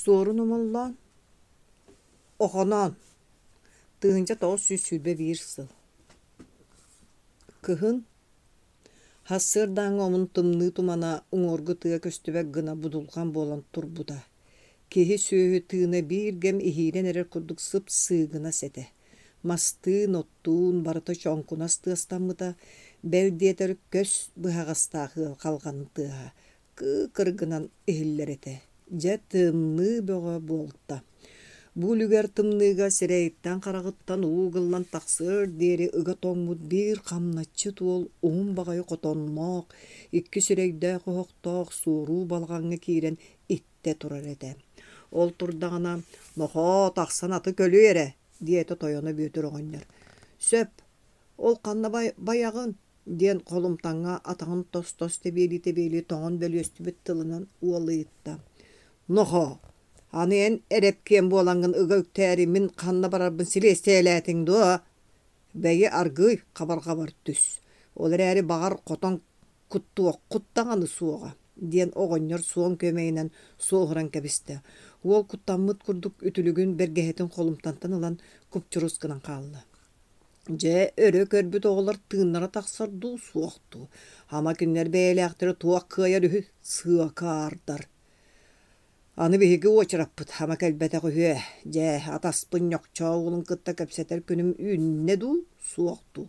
Суорун Омоллоон, Охоноон, 1921 сыл. Кыһын Сарсыардааҥҥы омун тымныы тумана уҥуоргу тыа көстүбэт гына будулҕан буолан турбута. Киһи-сүөһү тыына биир кэм иһиирэн эрэр курдук сып-сыыгынас этэ. Мастыын, оттуун барыта чоҥкунас тыастаммыта, бэл диэтэр көс быһаҕастаах ыал халҕанын тыаһа кыы-кыр гынан иһиллэр этэ. Дьэ, тымныы бөҕө буолта. Бу үлүгэр тымныыга сирэйиттэн-хараҕыттан уу ыгыллан тахсыар диэри ыга тоҥмут биир хамначчыт уол уһун баҕайы хотонноох, икки сирэйдээх оһохтоох суоруу балаҕаҥҥа киирэн иттэ турар этэ. Ол турдаҕына, «Нохоо, тахсан аты көлүй эрэ» диэтэ тойоно Бүөтүр оҕонньор. «Сөп, ол ханна байаҕын?» диэн холумтаҥҥа атаҕын тос-тос тэбиэлии-тэбиэлии тоҥон бөлүөстүбүт тылынан уол ыйытта. «Нохоо, аны эн эрэпкиэн буолаҥҥын ыга үктээри мин ханна барарбын силиэстийэлээтиҥ дуо? Бэйи аргыый хабарҕабар түс, ол эрээри баҕар хотон куттуоххут даҕаны суоҕа» диэн оҕонньор суон күөмэйинэн суоһуран кэбистэ. Уол куттаммыт курдук үтүлүгүн бэргэһэтин холумтантан ылан купчурус гынан хаалла. Дьэ, өрө көрбүт оҕолор тыыннара тахсар дуу, суох дуу? Ама кинилэр бэйэлээхтэрэ туох кыайар үһү, сыакаардар. Аны биһиги уочараппыт ама кэлбэтэх үһүө. Дьэ, атаспын Ньохчоо уолун кытта кэпсэтэр күнүм үүннэ дуу, суох дуу?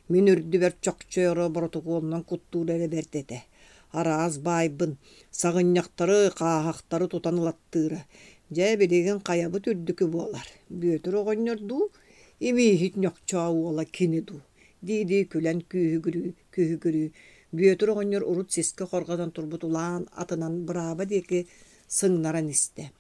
Мин үрдүбэр чохчойоро боротокуолунан куттуур эрэ бэрт этэ. Араас баайбын, саҕынньахтары, хааһахтары тутан ылаттыыра. Дьэ, билигин хайабыт үрдүкү буолар? Бүөтүр оҕонньор дуу, Имииһит Ньохчоо уола кини дуу дии-дии күлэн күүһүгүрүү, Бүөтүр оҕонньор урут сискэ хорҕотон турбут улаан атынан бырааба диэки сыҥнаран истэ.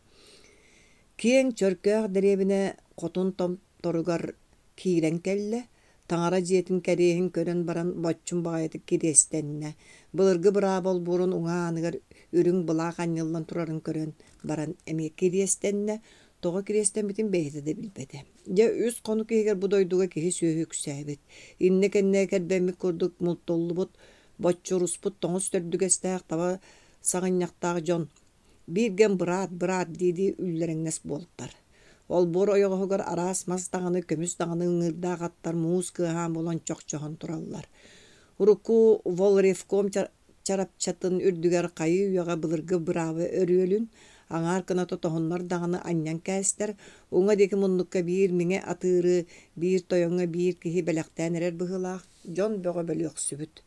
Киэҥ чөркөөх дэриэбинэ хотун томторугар киирэн кэллэ, таҥара дьиэтин кэриэһин көрөн баран боччум баҕайытык кириэстэннэ. Былыргы бырааба олбуорун уҥа ааныгар үрүҥ былаах анньыллан турарын көрөн баран эмиэ кириэстэннэ, тоҕо кириэстэммитин бэйэтэ да билбэтэ. Дьэ, үс хонук иһигэр бу дойдуга киһи-сүөһү үксээбит. Иннэ-кэннэ кэрбэммит курдук мултуллубут, боччуруспут тоҥус төрдүгэстээх таба саҕынньахтаах дьон бииргэм быраат, быраат дии-дии үллэрэҥнэс буолтар. Олбуор ойоҕоһугар араас мас даҕаны, көмүс даҕаны ыҥыырдаах аттар муус кыаһаан буолан чохчоһон тураллар. Урукку волревком чарапчатын үрдүгэр хайыы-үйэҕэ былыргы бырааба өрүөлүн, аҥаар кыната тоһуннар даҕаны анньан кээстэр, уҥа диэки муннукка биир миҥэ атыыры, биир тойоҥҥо биир киһи бэлэхтээн эрэр быһыылаах, дьон бөҕө бөлүөхсүбүт.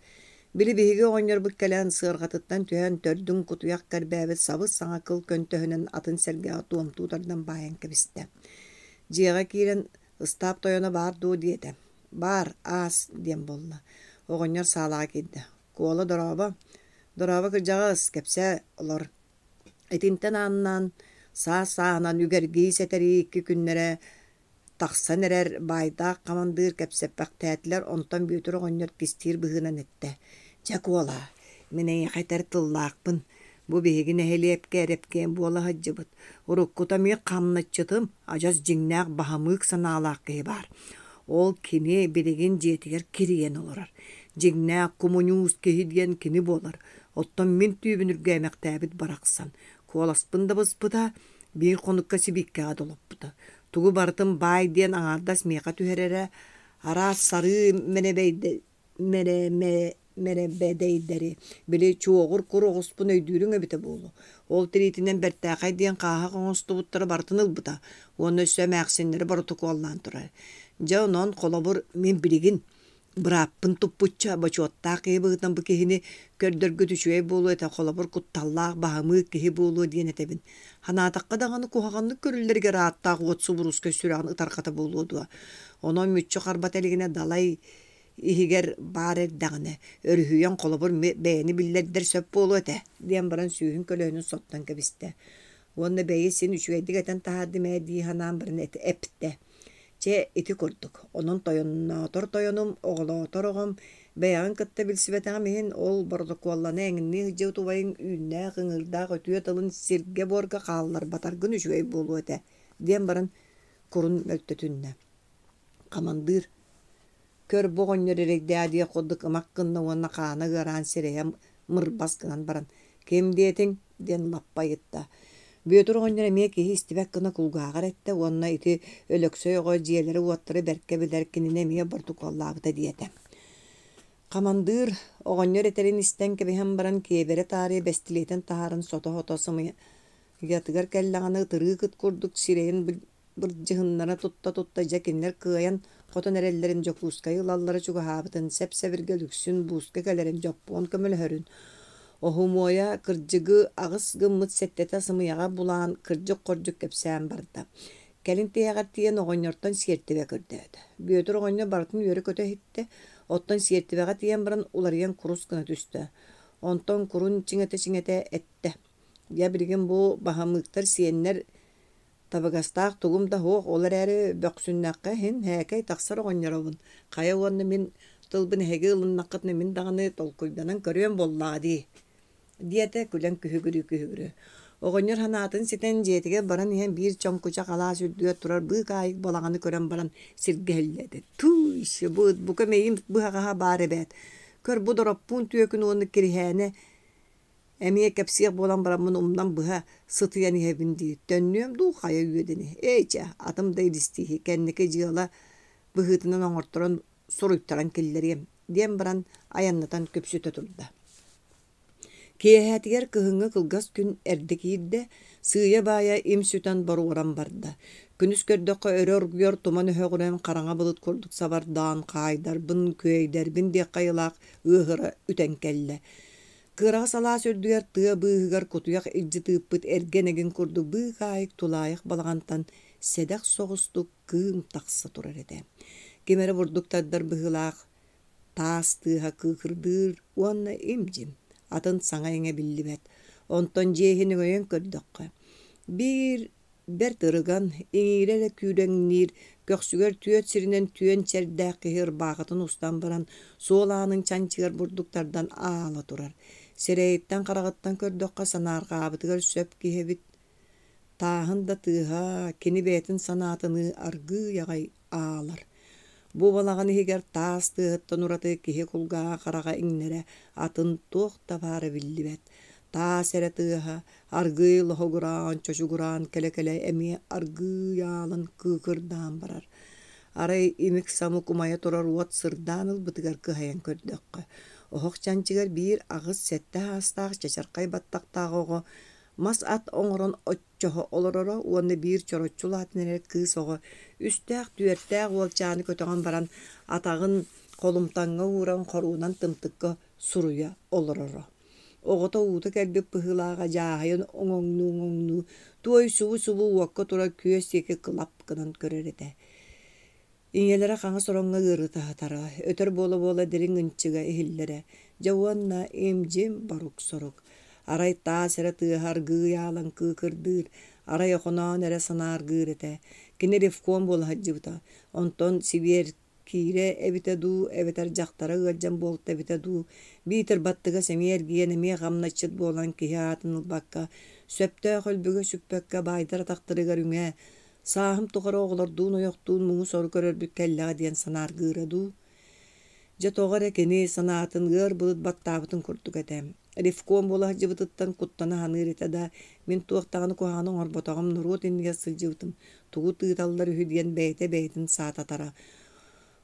Били биһиги оҕонньорбут кэлэн сыарҕатыттан түһэн төрдүн кутуйах кэрбээбит сабыс-саҥа кыл көнтөһүнэн атын сэргэҕэ туомтуу тардан баайан кэбистэ. Дьиэҕэ киирэн ыстаап тойоно баар дуо диэтэ. Баар, аас диэн буолла. Оҕонньор саалаҕа киирдэ. Куола дорообо, дорообо кырдьаҕас, кэпсээ олор. Итинтэн ааннаан саас-сааһынан үгэргии сэтэрии икки күннэрэ тахсан эрэр баайдаах хамандыыр кэпсэппэхтээтилэр, онтон Бүөтүр оҕонньор кистиир быһыынан эттэ: «Дьэ, Куола, мин эйиэхэ этэр тыллаахпын. Бу биһиги нэһилиэккэ эрэпкиэн буола сылдьыбыт. Уруккута эмиэ хамначчытым, адьас дьиҥнээх баһамыык санаалаах киһи баар. Ол кини билигин дьиэтигэр кирийэн олорор. Дьиҥнээх кумуньуус киһи диэн кини буолар. Оттон мин түүбүн үргээмэхтээбит барахсан. Куоласпын да быспыта, биир хонукка сибииккэҕэ долоппута. Тугу барытын баай диэн аҥаардас миэхэ түһэрэрэ, араас сарыы мэрэбэдэйдэри, били чуоҕур кур оҕуспун өйдүүрүҥ эбитэ буолуо. Ол тириитинэн бэртээхэй диэн хааһах оҥостубуттара барытын ылбыта уонна өссө эмээхсиннэри боротокуоллаан турар. Дьэ, онон, холобур, мин билигин бырааппын туппучча бочуоттаах киһи быһыытынан бу киһини көрдөргүт үчүгэй буолуо этэ, холобур, кутталлаах, баһымыы киһи буолуо диэн этэбин. Санаатахха даҕаны куһаҕаннык көрүллэригэр ааттаах уот субуруускай сүрэҕин ытарҕата буолуо дуо? Онон мүччү харбата илигинэ далай иһигэр баар эрдэҕинэ, өрүһүйэн холобур бэйэни биллэрдэр сөп буолуо этэ диэн баран сүүһүн көлөһүнүн соттон кэбистэ. Уонна бэйи син үчүгэйдик этэн таһаардым ээ дии санаан баран эптэ. Чэ, ити курдук. Онон тойонноотор тойонум, оҕолоотор оҕом, бэйэҕин кытта билсибэтэҕим иһин, ол боротокуоллана эҥиннии сылдьыбыт убайыҥ үүннээх, ыҥыырдаах үтүө тылын сиргэ-буорга хаалларбатаргын үчүгэй буолуо этэ диэн баран курун мөлтөтүннэ. Хамандыыр Көр, бу оҕонньор эрэйдээх диэх курдук ымах гынна уонна хаана ыараан сирэйэ мырбас гынан баран: «Ким диэтиҥ?» диэн лаппа ыйытта. Бүөтүр оҕонньор эмиэ киһи истибэт гына кулгааҕар эттэ уонна ити Өлөксөй оҕо дьиэлэри-уоттары бэркэ билэр кинини эмиэ боротокуоллаабыта диэтэ. Хамандыыр оҕонньор этэрин истэн кэбиһэн баран киэбирэ таарыйа бэстилиэтин таһааран сото-сото сымыйатыгар кэллэҕинэ ытырыык ыт курдук сирэйин бырдьыһыннара тутта-тутта дьэ кинилэр кыайан хотон эрэллэрин Дьокуускайы ылаллара чугаһаабытын сэп-сэбиргэл үксүн бууска кэлэрин дьоппуон көмөлөһөрүн Оһумуойа кырдьыгы аҕыс гыммыт сэттэтэ сымыйаҕа булаан кырдьык-хордьук кэпсээн барда. Кэлин тиһэҕэр тиийэн оҕонньортон сиэртибэ көрдөөтө. Бүөтүр оҕонньор барытын үөрэ-көтө иһиттэ, оттон сиэртибэҕэ тиийэн баран уларыйан курус гына түстэ. Онтон курун чиҥэтэ-чиҥэтэ эттэ: «Дьэ билигин бу баһамыыктар сиэннэр Табыгастаах тугум да суох, ол эрээри бөхсүннэххэ иһин һээкэй тахсар оҕонньоробун. Хайа уонна мин тылбын эһиги ылыннаххытына мин даҕаны толкуйданан көрүөм буоллаҕа дии, диэтэ күлэн күһүгүрүү-күһүгүрүү. Оҕонньор санаатын ситэн дьиэтигэр баран иһэн биир чоҥкучах алаас үрдүгэр турар быыкаайык балаҕаны көрөн баран сиргэ иһиллээтэ. Тыый, бу ыт бука мэйиим быһаҕаһа баар эбээт. Көр бу Дороппуун түөкүн уонна Кириһээнэ Эмиэ кэпсиэх буолан бараммын умнан быһа сытыйан иһэбин дии, төннүөм дуу хайа үөдэни, ээ чэ, атым да илистииһи, кэнники дьыала быһыытынан оҥорторон суруйтаран киллэриэм, диэн баран айаннатан күпсүтэ турда. Киэһээтигэр кыһыҥҥы кылгас күн эрдэ киирдэ, сыыйа-баайа им сүтэн боруоран барда. Күнүс көрдөххө өрө оргуйар туман өһөҕүнэн хараҥа былыт курдук сабардаан хаайдарбын, күөйдэрбин диэххэ айылаах ыаһыра үтэн кэллэ. Кыараҕас алаас үрдүгэр тыа быыһыгар кутуйах илдьи тыыппыт эргэн эгин курдук быыкаайык тулаайах балаҕантан сэдэх соҕустук кыым тахса турар этэ. Ким эрэ бурдук тардар быһыылаах таас тыаһа кыыкырдыыр уонна им-дьим, атын саҥа-иҥэ биллибэт. Онтон дьиэ иһин өҥөйөн көрдөххө, биир Бэрт ырыган, иҥиирэ эрэ күүрэҥниир, көхсүгэр түөрт сиринэн түөн чэрдээх киһи ырбаахытын устан баран, суол аанын чанчыгар бурдук тардан аала турар. Сирэйиттэн-хараҕыттан көрдөххө, санаарҕаабытыгар сөп киһи эбит. Тааһын да тыаһа кини бэйэтин санаатыныы аргыый аҕай аалар. Бу балаҕан иһигэр таас тыаһыттан ураты киһи кулгааҕа хараҕа иҥнэрэ атын туох да баара биллибэт. Таас эрэ тыаһа аргыый лоһугураан, чочугураан кэлэ-кэлэ эмиэ аргыый аалан кыыкырдаан барар. Арай имик-самык умайа турар уот сырдаан ылбытыгар кыһайан көрдөххө, оһох чанчыгар биир аҕыс-сэттэ саастаах чачархай баттахтаах оҕо мас ат оҥорон оччоһо олороро уонна биир чороччу улаатан эрэр кыыс оҕо үстээх-түөртээх уолчааны көтөҕөн баран атаҕын холумтаҥҥа ууран хоруунан тымтыкка суруйа олороро. Оҕото уута кэлбит быһыылааҕа дьааһыйан оҥоҥнуу-оҥоҥнуу туой субу-субу уокка турар күөс диэки кылап гынан көрөр этэ. Ийэлэрэ хаҥас ороҥҥо ыарыыта сытара, өтөр буола-буола дириҥ ынчыга иһиллэрэ. Дьэ уонна им-дьим борук-сорук. Арай таас эрэ тыаһа аргыый аалан кыыкырдыыр, арай Охоноон эрэ санааргыыр этэ. Кини ревком буола сылдьыбыта. Онтон Сибиэр киирэ эбитэ дуу, эбэтэр дьахтара ыалдьан буолта эбитэ дуу, биитэр баттыгас эмиэ эргийэн эмиэ хамначчыт буолан киһи аатын ылбакка, сөптөөх өлбүгэ сүкпэккэ баайдар атахтарыгар үҥэ, сааһым тухары оҕолордуун-ойохтуун муҥу-сору көрөрбүт кэллэҕэ диэн санааргыыра дуу. Дьэ тоҕо эрэ кини санаатын ыар былыт баттаабытын курдук этэ. Ревком буола сылдьыбытыттан куттана саныыр этэ да, мин туох даҕаны куһаҕаны оҥорботоҕум, норуот иннигэр сылдьыбытым, тугу тыыталлар үһү диэн бэйэтэ бэйэтин саататара.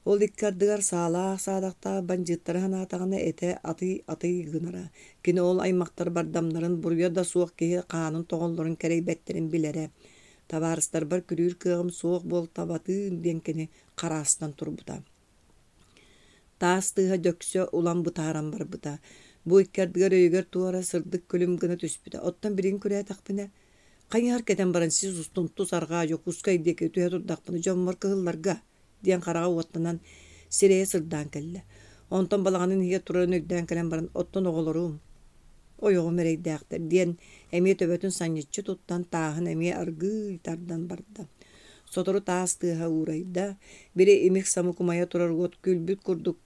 Ол икки ардыгар саалаах-саадахтаах бандьыыттары санаатаҕына этэ атый-атый гынара. Кини ол аймахтар бардамнарын буруйа да суох киһи хаанын тоҕоллорун кэрэйбэттэрин билэрэ. Табаарыстарбар күрүүр кыаҕым суох буолтабатыын диэн кини хараастан турбута. Таас тыаһа дөксө улам бытааран барбыта. Бу икки ардыгар өйүгэр туора сырдык күлүм гына түспүтэ. Оттон билигин күрээтэхпинэ, хайыһар кэтэн баран сис устун тус арҕаа Дьокуускай диэки түһэ турдахпына дьоммор кыһылларга диэн хараҕа уоттанан сирэйэ сырдаан кэллэ. Онтон балаҕанын иһигэр турарын өйдөөн кэлэн баран, оттон оҕолорум, ойоҕум эрэйдээхтэр диэн эмиэ төбөтүн санньыччы туттан тааһын эмиэ аргыый тардан барда. Сотору таас тыаһа уурайда, били имик-самык умайа турар уот күлбүт курдук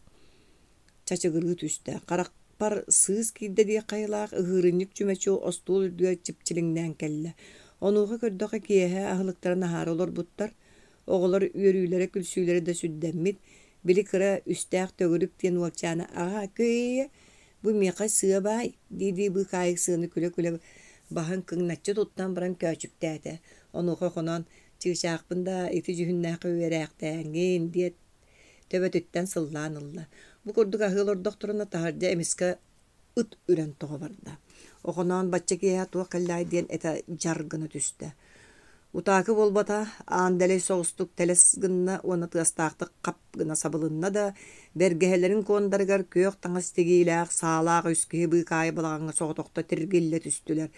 чачыгырыы түстэ. Харахпар сыыс киирдэ диэх хайалаах ыһыырынньык чүмэчи остуол үрдүгэр чипчилиҥнээн кэллэ. Онуоха көрдөххө киэһэ аһылыктарын аһаары олорбуттар. Оҕолор үөрүүлэрэ-күлсүүлэрэ да сүрдэммит, били кыра үстээх төгүрүк диэн уолчаана «Аҕаа, кыйа, бу миэхэ сыа баай» дии-дии быыкаайык сыаны күлэ-күлэ Баһын кыҥначчы туттан баран көөчүктээтэ. Онуоха Охоноон «Чыычаахпын даа, ити дьүһүннээххэ үөрээхтээҥҥин» диэт төбөтүттэн сыллаан ылла. Бу курдук аһыы олордохторуна таһырдьа эмискэ ыт үрэн тоҕо барда. Охоноон бачча киэһэ туох кэллэҕэй диэн этэ дьар гына түстэ. Утаакы буолбата, аан дэлэй соҕустук тэлэс гынна уонна тыастаахтык хап гына сабылынна да, бэргэһэлэрин куондарыгар күөх таҥас тигиилээх, саалаах үс киһи быыкаайы балаҕаҥҥа соҕотохто тиргиллэ түстүлэр.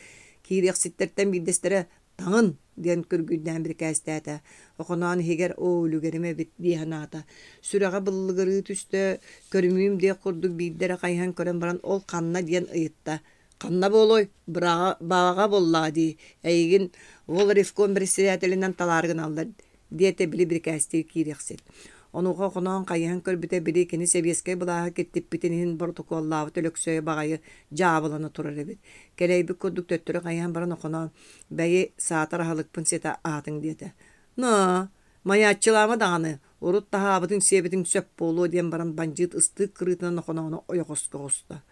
Киириэхситтэртэн биирдэстэрэ «Таҥын!» диэн күргүйдээн бирикээстээтэ. Охоноон иһигэр «Оо, үлүгэрим эбит» дии санаата. Сүрэҕэ быллыгырыы түстэ, көрүмүүм диэх курдук биирдэ эрэ хайыһан көрөн баран «Ол ханна?» диэн ыйытта. «Ханна буолуой? Быраҕа буоллаҕа дии, эйигин волревком председателинэн талаары гыналлар» диэтэ били бирикээстии киириэхсит. Онуоха Охоноон хайыһан көрбүтэ били кини сэбиэскэй былааһы киртиппитин иһин боротокуоллаабыт Өлөксөйө баҕайы дьаабылана турар эбит. Кэлэйбит курдук төттөрү хайыһан баран Охоноон «Бэйи, саатар аһылыкпын ситэ аһатыҥ» диэтэ. «Ноо, майааччылаама даҕаны, урут таһаабытыҥ-сиэбитиҥ сөп буолуо» диэн баран бандьыыт ыстыык кырыытынан Охоноону ойоҕоско оҕуста.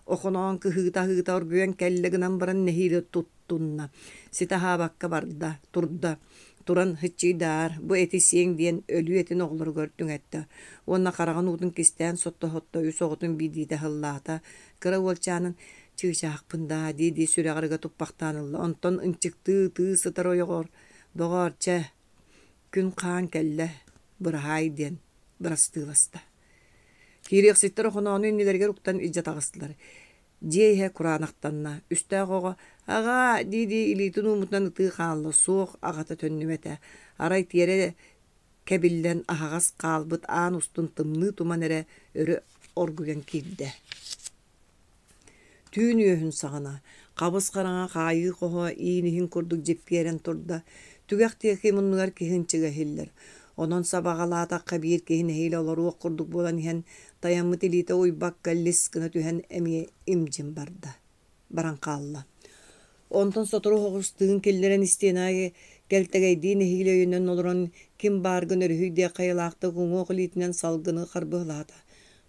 Охоноон кыһыыта-аһыыта оргуйан кэллэ гынан баран нэһиилэ туттунна. Ситэ аһаабакка барда, турда. Туран «Һыччыйдаар, бу эти сиэҥ» диэн өлүү этин оҕолоругар түҥэттэ уонна хараҕын уутун кистээн сотто-сотто үс оҕотун биирдиитэ аһыллаата. Кыра уолчаанын «Чыычаахпын даа» дии-дии сүрэҕэр ыга туппахтаан ылла. Онтон ынчыктыы ытыы сытар ойоҕор «Доҕоор, чэ, күн хаан кэллэ, быраһаай» диэн бырастыыласта. Киириэхситтэр Охоноону иннилэригэр уктан илдьэ таҕыстылар. Дьиэ иһэ кураанахтанна, үстээх оҕо «Аҕаа!» дии-дии илиитин ууммутунан ытыы хаалла, суох аҕата төннүбэтэ. Арай тиэрэ кэбиллэн аһаҕас хаалбыт аан устун тымныы туман эрэ өрө оргуйан киирдэ. Түүн үөһүн саҕана хабыс-хараҥа хаайыы хоһо иин иһин курдук дьиппиэрэн турда, түгэх диэки муннугар киһи ынчыга иһиллэр. Онон сабаҕалаатахха биир киһи нэһиилэ олоруох курдук буолан иһэн, тайаммыт илиитэ уйбакка лис гына түһэн эмиэ имдьин барда, баран хаалла. Онтон сотору соҕус тыын киллэрэн истиэнэ аайы кэлтэгэйдии нэһиилэ өйөнөн олорон ким бааргын өрүһүй диэх хайалаахтык уҥуох илиитинэн салгыны харбыалаата.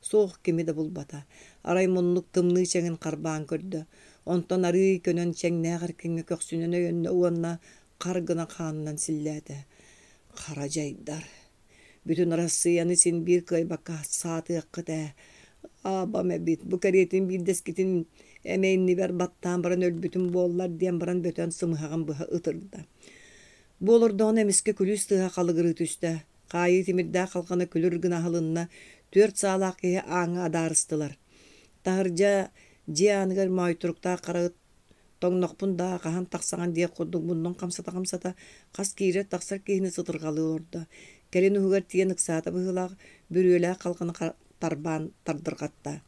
Суох кими да булбата. Арай муннук тымныы чэҥин харбаан көрдө. Онтон арыый көнөн чэҥнээх эркиҥҥэ көхсүнэн өйөннө уонна хар гына хаанынан силлээтэ. Хара дьайдар. Бүтүн Арассыыйаны син биир кыайбакка саатыаххыт ээ. Аабам эбит, бу кэриэтин биирдэскитин эмэ иннибэр баттаан баран өлбүтүм буоллар диэн баран бөтөн сымыһаҕын быһа ытырда. Бу олордоҕуна эмискэ күлүүс тыаһа халыгырыы түстэ. Хаайыы тимирдээх халҕана күлүр гына аһылынна, түөрт саалаах киһи ааҥҥа адаарыстылар. Таһырдьа дьиэ ааныгар моойторуктаах хара ыт Тоҥнохпун даа, хаһан тахсаҕын диэх курдук муннун хамсата-хамсата, хас киирэр-тахсар киһини сытырҕалыы олордо. Кэлин уһугар тиийэн ыксаата быһыылаах, бүрүөлээх халҕаны тарбаан тардырҕатта.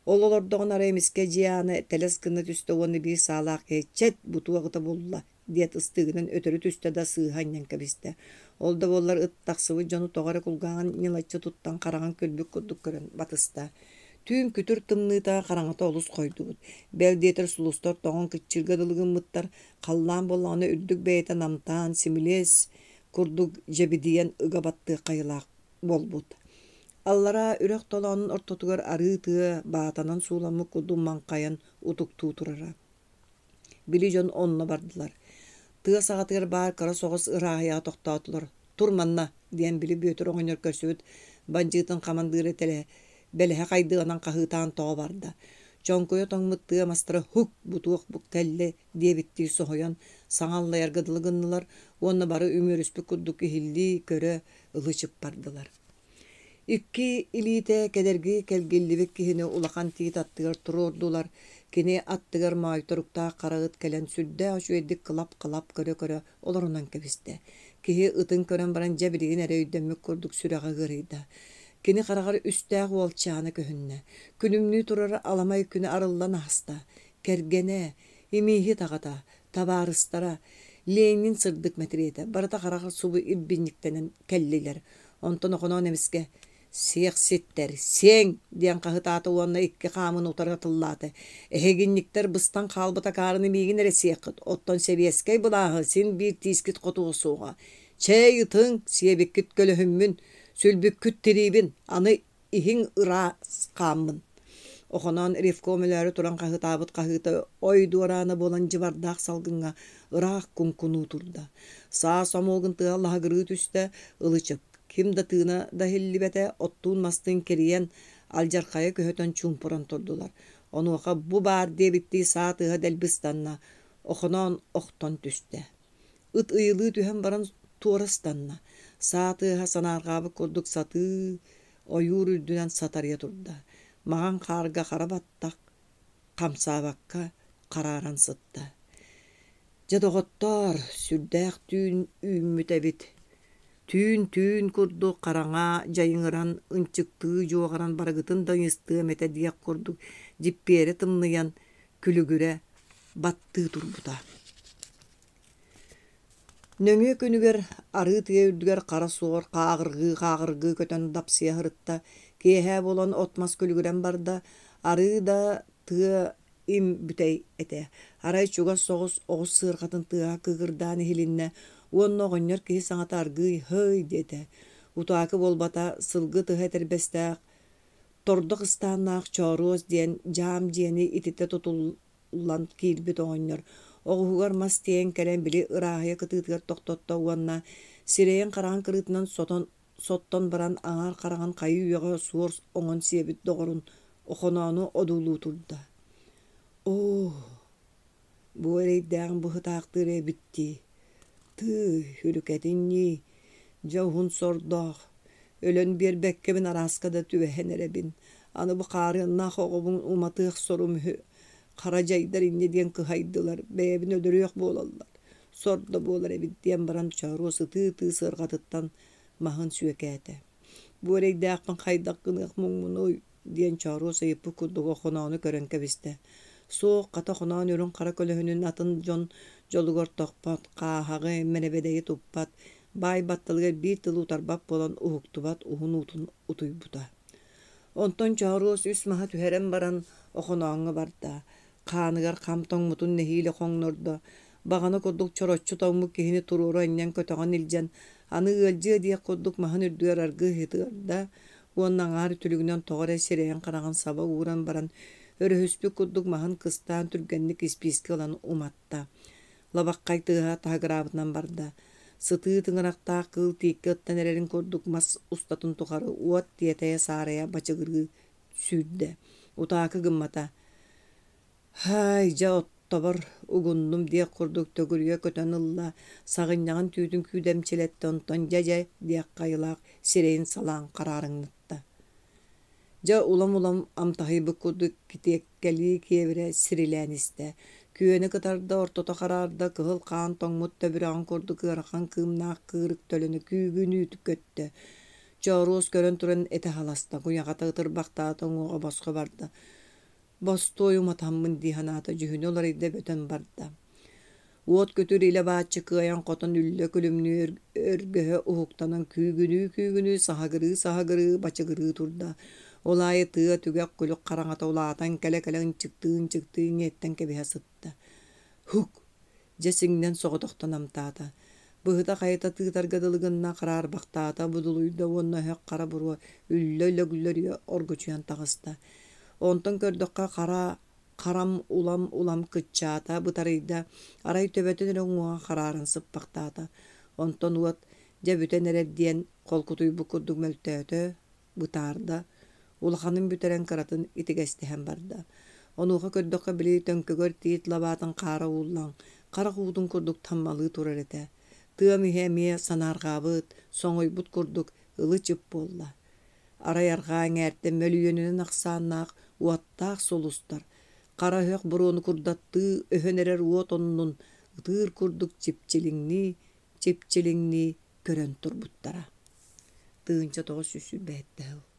Ол олордоҕуна арай эмискэ дьиэ аана тэлэс гына түстэ уонна биир саалаах киһи «Чэт, бу туох ыта булла?» диэт ыстыыгынан өтөрү түстэ да сыыһа анньан кэбистэ. Ол да буоллар ыт тахсыбыт дьону тоҕо эрэ кулгааҕын ньылаччы туттан хараҕын күлбүт курдук көрөн батыста. Түүн күтүр тымныыта хараҥата олус хойдубут. Бэл диэтэр сулустар тоҥон кыччыырга дылы гыммыттар, халлаан буоллаҕына үрдүк бэйэтэ намтаан, симилиэс курдук дьэбидийэн ыга баттыах хайылаах буолбут. Аллараа үрэх толоонун ортотугар арыы тыа баатанан сууламмыт курдук маҥхайан утуктуу турара. Били дьон онно бардылар. Тыа саҕатыгар баар кыра соҕус ырааһыйаҕа тохтоотулар. «Тур манна!» диэн били Бүөтүр оҕонньор көрсүбүт бандьыытын хамандыыра тэлэ бэлэһэ хайдыанан хаһыытаан тоҕо барда. Чоҥкуйа тоҥмут тыа мастара «Һук! Бу туох кэллэ?» диэбиттии соһуйан, саҥа аллайарга дылы гыннылар уонна бары үмүөрүспүт курдук иһиллии, көрө, ылы-чып бардылар. Икки илиитэ кэдэрги кэлгиллибит киһини улахан тиит аттыгар туруордулар, кини аттыгар моойторуктаах хара ыт кэлэн сүрдээх үчүгэйдик кылап-кылап көрө-көрө олорунан кэбистэ. Киһи ытын көрөн баран дьэ билигин эрэ өйдөммүт курдук сүрэҕэ ыарыйда. Кини хараҕар үстээх уолчаана көһүннэ. Күлүмнүү турар аламай күнэ арыллан ааста. Кэргэнэ, имииһит аҕата, табаарыстара, Ленин сырдык мэтириэтэ барыта хараҕар субу ирбинньиктэнэн кэллилэр. Онтон Охоноон эмискэ «Сиэхситтэр, сиэҥ!» диэн хаһытаата уонна икки хаамын утары атыллаата. «Эһигинньиктэр быстан хаалбыт акаарыны миигин эрэ сиэххит, оттон сэбиэскэй былааһы син биир тиискит хотуо суоҕа. Чэй ытыҥ, сиэбиккит көлөһүммүн, сүлбүккүт тириибин, аны иһиҥ ыраас хааммын». Охоноон ревком өлөөрү туран хаһыытаабыт хаһыыта ой дуораана буолан дьыбардаах салгыҥҥа ыраах куҥкунуу турда. Саа сомуогун тыаһа лаһыгырыы түстэ, ылы-чып. Ким да тыына да иһиллибэтэ, оттуун-мастыын кирийэн, алдьархайы көһүтэн чуумпуран турдулар. Онуоха бу баар диэбиттии саа тыаһа дэлби ыстанна, Охоноон охтон түстэ. Ыт ыйылыы түһэн баран туора ыстанна. Саа тыаһа санаарҕаабыт курдук сатыы ойуур үрдүнэн сатарыйа турда. Маҕан хаарга хара баттах хамсаабакка харааран сытта. Дьэ, доҕоттоор, сүрдээх түүн үүммүт эбит. Түүн-түүн курдук хараҥа дьайыҥыран, ынчыктыы дьуоҕаран барыгытын да ыйыстыам этэ диэх курдук дьиппиэрэ тымныйан, күлүгүрэ баттыы турбута. Нөҥүө күнүгэр арыы тыа үрдүгэр хара суор хааҕыргыы-хааҕыргыы көтөн дапсыйа сырытта. Киэһэ буолан от-мас күлүгүрэн барда, арыы да тыа им бүтэй этэ. Арай чугас соҕус оҕус сыарҕатын тыаһа кыыкырдаан иһилиннэ уонна оҕонньор киһи саҥата аргыый «һый» диэтэ. Утаакы буолбата, сылгы тыһа этэрбэстээх, тордох ыстааннаах Чооруос диэн дьаам дьиэни ититэ тутуллан киирбит оҕонньор оҕуһугар мас тиэйэн кэлэн били ырааһыйа кытыытыгар тохтотто уонна сирэйин-хараҕын кырыытынан сотон соттон баран аҥаар хараҕын хайыы-үйэҕэ суор оҥон сиэбит доҕорун Охоноону одуулуу турда. Оо, бу эрэйдээҕин быһытаахтыыр эбит дии. Тыый, үрүкэтин ньии, дьэ уһун сордоох, өлөн биэрбэккэбин арааска да түбэһэн эрэбин. Аны бу хаарыаннаах оҕобун уматыах сорум үһү. Хара дьайдар инньэ диэн кыһайдылар, бэйэбин өлөрүөх буолаллар. Сор да буолар эбит диэн баран Чооруос ытыы-ытыы сыарҕатыттан маһын сүөкээтэ. Бу эрэйдээхпин хайдах гыныах муҥмунуй диэн Чооруос ыйыппыт курдук Охоноону көрөн кэбистэ. Суох, хата Охоноон үрүҥ хара көлөһүнүн атын дьон дьолугар тохпот, хааһаҕы, мэрэбэдэйи туппат, баай батталыгар биир тылы утарбат буолан уһуктубат уһун уутун утуйбута. Онтон Чооруос үс маһы түһэрэн баран Охонооҥҥо барда. Хааныгар хам тоҥмутун нэһиилэ хоҥнордо, баҕана курдук чороччу тоҥмут киһини туруору анньан көтөҕөн илдьэн, аны ыалдьыа диэх курдук маһын үрдүгэр аргыый ыһытыарда уонна аҥаар үтүлүгүнэн тоҕо эрэ сирэйин-хараҕын саба ууран баран, өрөһүспүт курдук маһын кыстаан түргэнник испиискэ ылан уматта. Лабаххай тыаһа таһыгыраабытынан барда. Сытыы тыҥырахтаах кыыл тииккэ ыттан эрэрин курдук мас устатын тухары уот тиэтэйэ-саарайа бачыгырыы сүүрдэ, утаакы гыммата. «Һаай, дьэ оттобор угуннум» диэх курдук төгүрүйэ көтөн ылла, саҕынньаҕын түүтүн күүдэмчилэттэ, онтон дьэ-дьэ диэх хайылаах сирэйин салаан хараарыҥнатта. Дьэ улам-улам амтаһыйбыт курдук китиэккэлии киэбирэ сирилээн истэ. Күөнэ кытарда, ортото хараарда, кыһыл хаан тоҥмут төбүрэҕин курдук ыарахан кыымнаах кыырык төлөнө күүгүнүү көттө. Чооруос көрөн туран этэ халаста, куйаҕата ытырбахтаата, уҥуоҕа босхо барда. Бостуой уматаммын дии санаата, дьүһүнэ уларыйда бөтөн барда. Уот күтүр илэ-бааччы кыайан-хотон үллэ күлүмнүү өргөһө уһуктанан күүгүнүү-күүгүнүү, саһыгырыы-саһыгырыы, бачыгырыы турда. Ол аайы тыа түгэх күлүк хараҥата улаатан кэлэ-кэлэ ынчыктыы-ынчыктыы иҥиэттэн кэбиһэ сытта. Һук! Дьэ сиҥнэн соҕотохто намтаата. Быһыта-хайыта тыытарга дылы гынна, хараарбахтаата, будулуйда уонна өһөх хара буруо үллэ-лөглөрүйэ оргучуйан таҕыста. Онтон көрдөххө хара харам улам-улам кыччаата, бытарыйда, арай төбөтүн эрэ уҥуоҕа харааран сыппахтаата. Онтон уот дьэ бүтэн эрэр диэн холкутуйбут курдук мөлтөөтө, бытаарда, улаханын бүтэрэн кыратын итигэстэһэн барда. Онуоха көрдөххө били төҥкөгөр тиит лабаатын хаара ууллан, харах уутун курдук таммалыы турар этэ. Тыам иһэ эмиэ санаарҕаабыт, соҥойбут курдук ылы-чып буолла. Арай арҕаа эҥээртэн мөлүйүөнүнэн ахсааннаах уоттаах сулустар, хара өһөх буруону курдаттыы өһөн эрэр уот оннун ытыыр курдук чипчилиҥнии, чипчилиҥнии көрөн турбуттара. 1927 сыл.